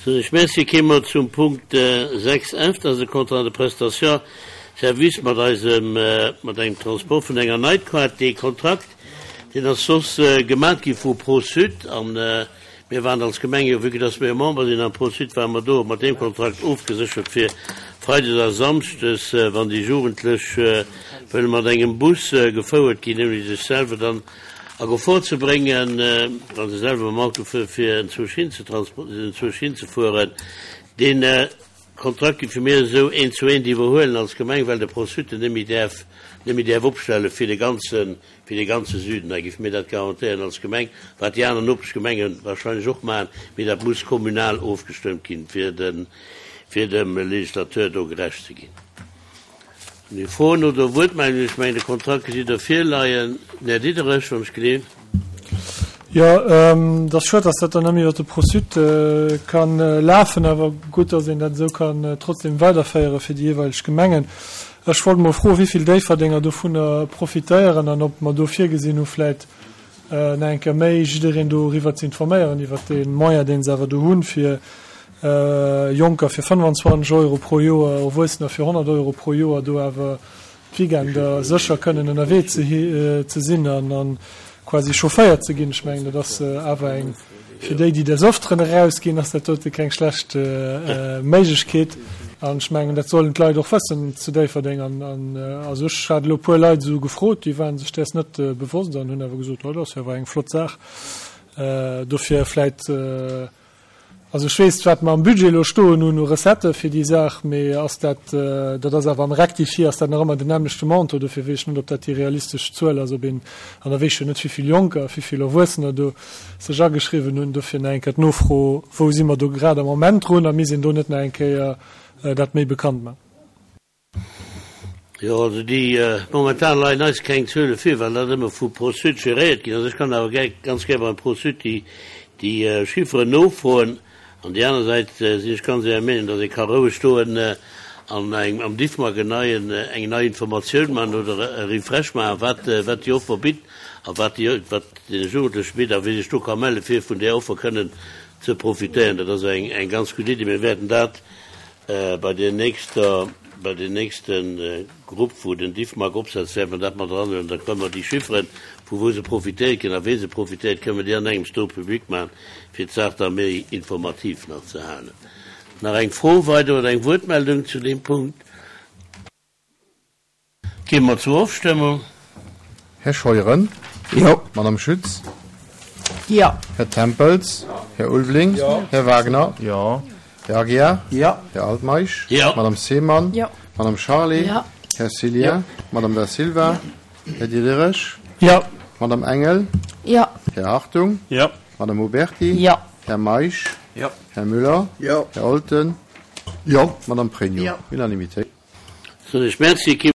Soen ech Merci. Kéime mer zum Punkt 6 F, dat ass e Contrat de prestation service mat eisem, mat engem Transport vun enger Night Card. Dee Kontrakt, deen ass soss gemat gi vu Pro-Sud an mir waren als Gemeng jo, vue que dass mir jo Member sinn am Pro-Sud, ware mer do mat deem Kontrakt ofgeséchert fir freides a samschdes, wann déi Jugendlech wëlle mat engem Bus gefouert ginn, ouni sech selwer dann a Gefor ze bréngen, wa se selwer mam Auto fueren, fir enzwousch hin ze enzwousch hinzefueren. Dee Kontrakt géife mir esou eent zu eent iwwerhuelen als Gemeng, well de Pro-Sud en net méi däerf, net méi däerf opstelle fir de ganzen, fir de ganze Süden. Da géife mir dat garantéieren als Gemeng, wat déi aner Nopeschgemenge wahrscheinlech och maachen, mee dat muss kommunal ofgestëmmt ginn, fir de, fir dem Législateur do gerecht ze ginn. Hunn ech Froen oder Wuertmeldungen? Ech mengen, de Kontrakt gesitt Der virleien. Den Här Diderich, wann ech gleef. Jo, et ass schued, dass dat dann nëmme iwwer de Pro-Sud ka lafen, awer gutt, dass een dat esou kann trotzdem weiderféiere fir déi jeeweileg Gemengen. Ech wollt emol froen, wéi vill Déifferdenger dovunner profitéieren an ob mer do virgesinn hu vläicht nach eng Kéier méi jiddereen doriwwer ze informéieren, iwwert dee Moyen, dee se awer do hunn, fir Jonker fir 25 Euro pro Joer, Erwuessener fir 100 Euro pro Joer do awer d'Weekender sécher kënnen ënnerwee ze sinn an quasi chaufféiert ze ginn. Ech mengen, dat ass awer eng, fir déi, déi des Öfteren erausginn, ass dat dote keng schlecht Méiglechkeet. An ech mengen, dat sollen d'Leit och wëssen zu Déifferdeng. An also ech hat elo e puer Leit esou gefrot, déi ware sech däers net bewosst an hunn awer gesot, oh, dat ass jo awer eng flott Saach. Dofir vläit, also ech weess, wat mer am Budget elo stoen hunn u Recettë fir déi Saach, mee ass dat, dat ass awer am Rectifié, ass dat nach ëmmer den nämmlechte Montant. Dofir weess ech net, ob dat déi realistesch Zuel ass, ob een, an da weess ech jo net, wéi vill Jonker a wéi vill Erwuessener do sech ageschriwwen hunn. Dofir nach eng Kéier d'Nofro, Wou si mer do grad am Moment drun a misst een do net nach eng Kéier dat méi bekannt man? Jo, also déi, momentan leien eis keng Zuele vir, well dat ëmmer vu Pro-Sud geréiert ginn ass. Ech kann awer gär, ganz gär beim Pro-Sud déi, déi Chifferen nofroen. An déi aner Säit sinn ech ganz Ärer Meenung, datt ee ka roueg stoen an engem, am Diffmag en neien, eng nei Informatioun maachen oder e Refresh maachen, wat, wat déi Offer bitt a wat déi, wat deene Jugendleche bitt a wie sech do ka melle fir vun där Offer kënnen ze profitéieren. Dat ass eng, eng ganz gutt Iddi. Mir wäerten dat Bei der nächster, bei den nächste Grupp, wou den Diffmag opsetzt, wäerte mer dat mat eranhuelen. Da kënnen mer déi Chifferen, vu wou se profitéiert ginn a wee se profitéiert, kënnen mer déi an engems do public maachen, fir d'Saach da méi informativ nach ze halen. Nach eng Fro weider oder eng Wuertmeldung zu deem Punkt? Gi mer zur Ofstëmmung. Här Scheuren? Jo. Madame Schütz? Jo. Här Tempels? Jo. Här Ulveling? Jo. Här Wagner? Jo. Här Aguiar? Jo. Här Altmeisch? Jo. Madame Seemann? Jo. Madame Charlé? Jo. Här Cillien? Jo. Madame Da Silva? Jo. Här Diderich? Jo. Madame Engel? Jo. Här Hartung? Jo. Madame Oberti? Jo. Här Meisch? Jo. Här Müller? Jo. Här Olten? Jo. Madame Pregno? Jo. Unanimitéit. Soen ech Merci.